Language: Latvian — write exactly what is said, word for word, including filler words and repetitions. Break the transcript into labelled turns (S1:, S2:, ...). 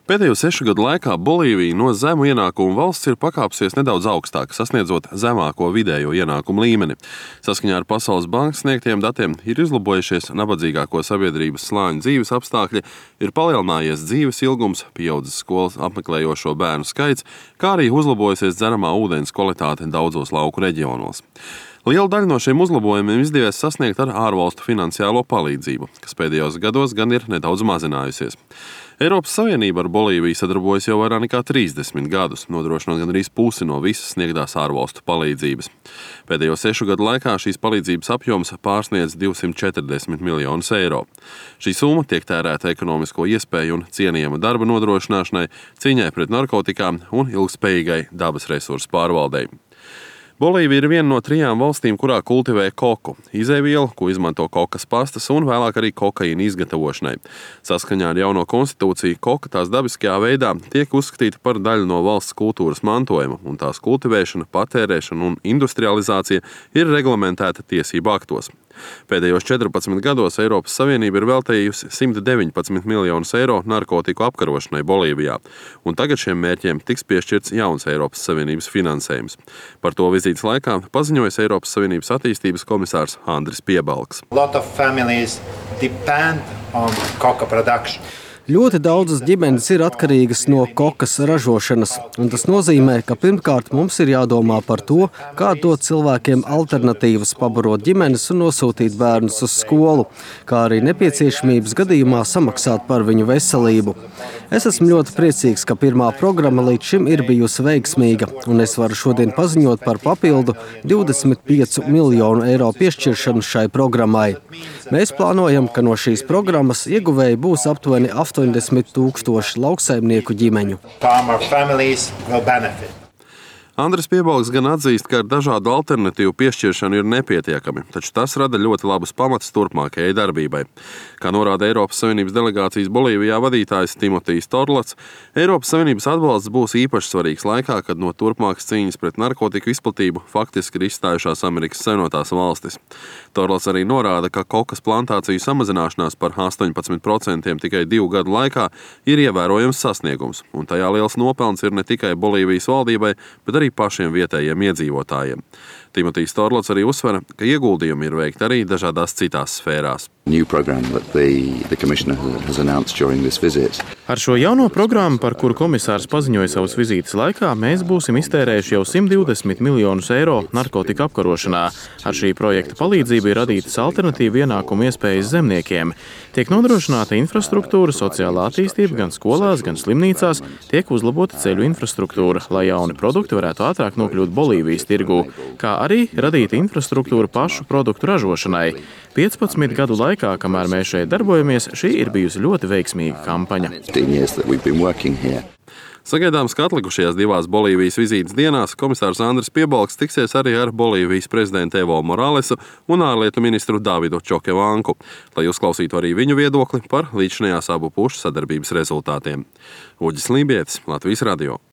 S1: Pēdējo sešu gadu laikā Bolīvija no zemu ienākumu valsts ir pakāpsies nedaudz augstāk, sasniedzot zemāko vidējo ienākumu līmeni. Saskaņā ar Pasaules bankas sniegtiem datiem ir uzlabojušies nabadzīgāko sabiedrības slāņu dzīves apstākļi, ir palielinājies dzīves ilgums, pieaudzis skolas apmeklējošo bērnu skaits, kā arī uzlabojusies dzeramā ūdens kvalitāte daudzos lauku reģionos. Liela daļa no šiem uzlabojumiem izdevies sasniegt ar ārvalstu finansiālo palīdzību, kas pēdējos gados gan ir nedaudz mazinājusies. Eiropas Savienība ar Bolīviju sadarbojas jau vairāk nekā trīsdesmit gadus, nodrošinot gandrīz pusi no visas sniegtās ārvalstu palīdzības. Pēdējo sešu gadu laikā šīs palīdzības apjoms pārsniedz divsimt četrdesmit miljonus eiro. Šī summa tiek tērēta ekonomisko iespēju un cienījama darba nodrošināšanai, cīņai pret narkotikām un ilgspējīgai dabas resursu pārvaldei. Bolīvija ir viena no trijām valstīm, kurā kultivē koku, izēvielu, ko izmanto kokas pastas un vēlāk arī kokaīna izgatavošanai. Saskaņā ar jauno konstitūciju koka tās dabiskajā veidā tiek uzskatīta par daļu no valsts kultūras mantojuma, un tās kultivēšana, patērēšana un industrializācija ir reglamentēta tiesību aktos. Pēdējos četrpadsmit gados Eiropas Savienība ir veltījusi simt deviņpadsmit miljonus eiro narkotiku apkarošanai Bolīvijā, un tagad šiem mērķiem tiks piešķirts jauns Eiropas Savienības finansējums. Par to vizītes laikā paziņojas Eiropas Savienības attīstības komisārs Andris Piebalgs.
S2: Ļoti daudzas ģimenes ir atkarīgas no kokas ražošanas, un tas nozīmē, ka pirmkārt mums ir jādomā par to, kā dot cilvēkiem alternatīvas pabarot ģimenes un nosūtīt bērnus uz skolu, kā arī nepieciešamības gadījumā samaksāt par viņu veselību. Es esmu ļoti priecīgs, ka pirmā programma līdz šim ir bijusi veiksmīga, un es varu šodien paziņot par papildu divdesmit piecu miljonu eiro piešķiršanu šai programmai. Mēs plānojam, ka no šīs programmas ieguvēji būs aptuveni astoņdesmit tūkstoši lauksaimnieku ģimeņu.
S1: Andris Piebalgs gan atzīst, ka ar dažādu alternatīvu piešķiršanu ir nepietiekami, taču tas rada ļoti labus pamatus turpmākajai darbībai. Kā norāda Eiropas Savienības delegācijas Bolīvijā vadītājs Timotijs Torlats, Eiropas Savienības atbalsts būs īpaši svarīgs laikā, kad no turpmākas cīņas pret narkotiku izplatību faktiski ir izstājušās Amerikas Savienotās valstis. Torlats arī norāda, ka kokas plantāciju samazināšanās par astoņpadsmit procentiem tikai divu gadu laikā ir ievērojams sasniegums, un tajā liels nopelns ir ne tikai Bolīvijas valdībai, bet arī pašiem vietējiem iedzīvotājiem. Timotijs Torlats arī uzsver, ka ieguldījumi ir veikti arī dažādās citās sfērās.
S3: Ar šo jauno programmu, par kuru komisārs paziņoja savas vizītes laikā, mēs būsim iztērējuši jau simt divdesmit miljonus eiro narkotika apkarošanā. Ar šī projekta palīdzību ir radītas alternatīva ienākumu iespējas zemniekiem. Tiek nodrošināta infrastruktūra, sociālā attīstība gan skolās, gan slimnīcās, tiek uzlabota ceļu infrastruktūra, lai jauni produkti varētu ātrāk nokļūt Bolīvijas tirgū, kā arī radīta infrastruktūra pašu produktu ražošanai. piecpadsmit gadu laikā, kamēr mēs šeit darbojamies, šī ir bijusi ļoti veiksmīga kampaņa.
S1: Sagaidāms, ka atlikušajās divās Bolīvijas vizītes dienās komisārs Andris Piebalgs tiksies arī ar Bolīvijas prezidentu Evo Moralesu un ārlietu ministru Davidu Čokevanku, lai uzklausītu arī viņu viedokli par līdzinājās abu pušu sadarbības rezultātiem. Uģis Lībietis, Latvijas radio.